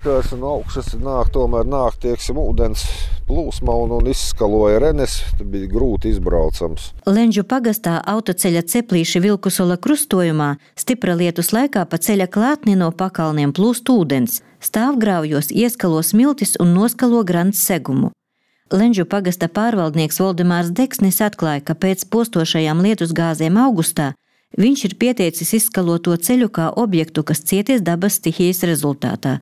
Kas no augšas nāk, tieksim, ūdens plūsma un izskaloja renes, tad bija grūti izbraucams. Lenžu pagastā autoceļa Ceplīši Vilkusola krustojumā stipra lietus laikā pa ceļa klātni no pakalniem plūst ūdens. Stāvgrāvjos ieskalo smiltis un noskalo grants segumu. Lenžu pagasta pārvaldnieks Voldemārs Deksnis atklāja, ka pēc postošajām lietusgāzēm augustā viņš ir pieteicis izskalot to ceļu kā objektu, kas cieties dabas stihijas rezultātā.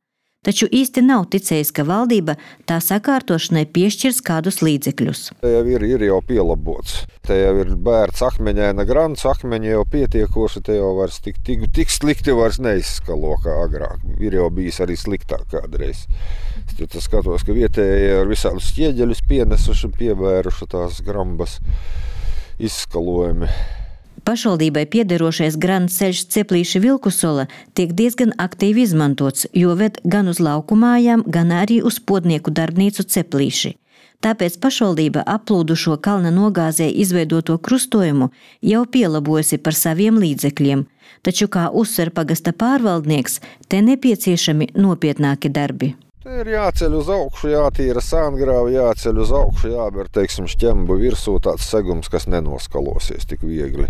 Taču īsti nav ticējis, ka valdība tā sakārtošanai piešķirs kādus līdzekļus. Te jau ir jau pielabots. Te jau ir bērts akmeņaina grants, akmeņi jau pietiekoši, te jau vairs tik slikti vairs neizskalo kā agrāk. Ir jau bijis arī sliktāk kādreiz. Tad skatos, ka vietējie ar visādus ķieģeļus pienesuši un pievēruši tās grambas izskalojumi. Pašvaldībai piederošais grants ceļš Ceplīši Vilkusola tiek diezgan aktīvi izmantots, jo ved gan uz lauku mājām, gan arī uz podnieku darbnīcu Ceplīši. Tāpēc pašvaldība aplūdušo kalna nogāzē izveidoto krustojumu jau pielabojusi par saviem līdzekļiem. Taču, kā uzsver pagasta pārvaldnieks, te nepieciešami nopietnāki darbi. Te ir jāceļ uz augšu, jātīra sāngrāvi, jāceļ uz augšu, jāber, teiksim, šķembu virsū tāds segums, kas nenoskalosies tik viegli.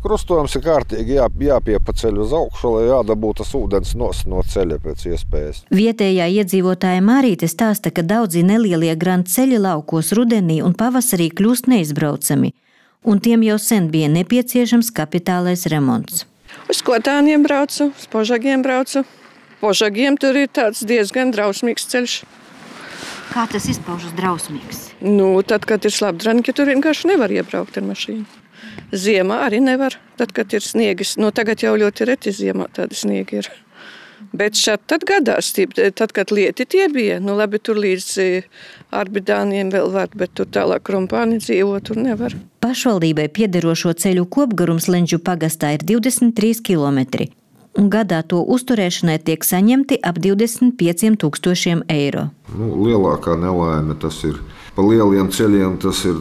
Krustojums ir kārtīgi jāpiepaceļ uz augšu, lai jādabū tas ūdens no ceļa pēc iespējas. Vietējā iedzīvotāja Mārīte stāsta, ka daudzi nelielie granta ceļi laukos rudenī un pavasarī kļūst neizbraucami, un tiem jau sen bija nepieciešams kapitālais remonts. Uz Kotāniem braucu, uz Požagiem braucu. Požagiem tur ir tāds diezgan drausmīgs ceļš. Kā tas izpaužas drausmīgs? Tad, kad ir slapdranki, tur vienkārši nevar iebraukt ar mašīnu. Ziemā arī nevar, tad, kad ir sniegis. Tagad jau ļoti reti ziemā tādi sniegi ir. Bet šad tad gadās, tad, kad lieti tie bija, labi, tur līdz Arbidāniem vēl var, bet tur tālāk Krumpāni dzīvo, tur nevar. Pašvaldībai piederošo ceļu kopgarums Lenžu pagastā ir 23 kilometri. Un gadā to uzturēšanai tiek saņemti ap 25 000 eiro. Lielākā nelaime tas ir. Pa lieliem ceļiem tas ir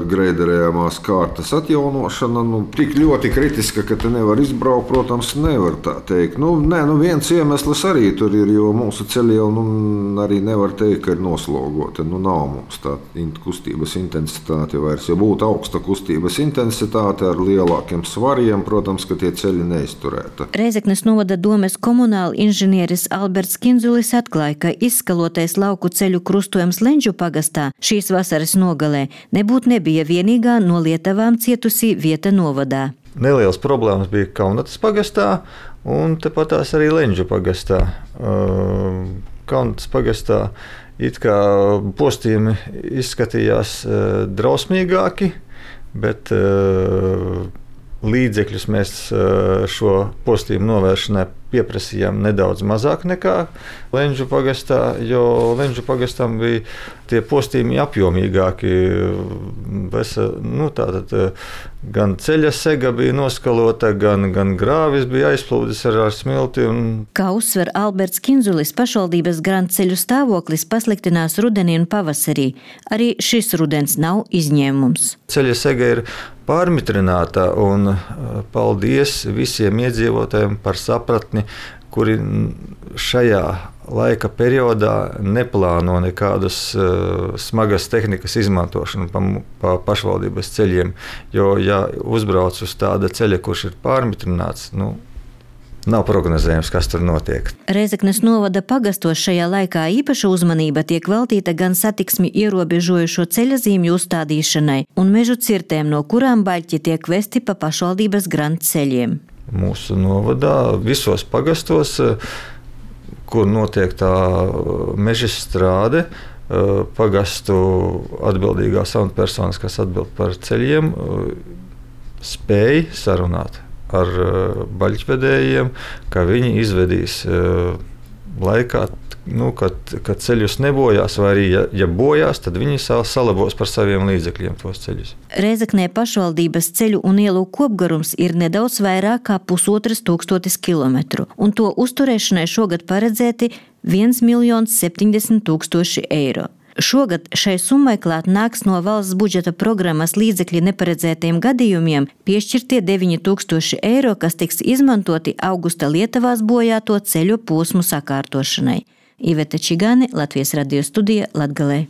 greiderējamās kārtas atjaunošana. Tik ļoti kritiska, ka te nevar izbraukt, protams, nevar tā teikt. Viens iemesls arī tur ir, jo mūsu ceļi jau arī nevar teikt, ka ir noslogoti. Nav mums tā kustības intensitāte vairs. Ja būtu augsta kustības intensitāte ar lielākiem svariem, protams, ka tie ceļi neizturētu. Reizeknes novada domes komunāla inženieris Alberts Kinzulis atklāja, ka izskalotais lauku ceļu krustojums Lenžu pagastā šīs vasaras nogalē nebija vienīgā no lietavām cietusī vieta novadā. Nelielas problēmas bija Kaunatas pagastā un tepatās arī Lenžu pagastā. Kaunatas pagastā it kā postījumi izskatījās drausmīgāki, bet līdzekļus mēs šo postījumu novēršanai pieprasījām nedaudz mazāk nekā Lenžu pagastā, jo Lenžu pagastam bija tie postījumi apjomīgāki. Tātad gan ceļa sega bija noskalota, gan grāvis bija aizplūdis ar smilti. Kā uzsver Alberts Kinzulis, pašvaldības granta ceļu stāvoklis pasliktinās rudenī un pavasarī. Arī šis rudens nav izņēmums. Ceļa sega ir pārmitrināta, un paldies visiem iedzīvotājiem par sapratni, kuri šajā laika periodā neplāno nekādas smagas tehnikas izmantošanu pa pašvaldības ceļiem. Jo, ja uzbrauc uz tāda ceļa, kurš ir pārmitrināts, nav prognozējams, kas tur notiek. Reizeknes novada pagastos šajā laikā īpaša uzmanība tiek veltīta gan satiksmi ierobežojušo ceļa zīmju uzstādīšanai un mežu cirtēm, no kurām baļķi tiek vesti pa pašvaldības granta ceļiem. Mūsu novadā visos pagastos, kur notiek tā meža strāde, pagastu atbildīgās amatpersonas, kas atbild par ceļiem, spēj sarunāt ar baļķvedējiem, ka viņi izvedīs laikā, kad ceļus nebojās, vai arī, ja bojās, tad viņi salabos par saviem līdzekļiem tos ceļus. Reizeknē pašvaldības ceļu un ielu kopgarums ir nedaudz vairāk kā 1500 kilometru, un to uzturēšanai šogad paredzēti 1 070 000 eiro. Šogad šai summai klāt nāks no valsts budžeta programmas līdzekļi neparedzētajiem gadījumiem piešķirtie 9 000 eiro, kas tiks izmantoti augusta Lietuvās bojāto ceļu posmu sakārtošanai. Iveta Čigāne, Latvijas radio studija, Latgalē.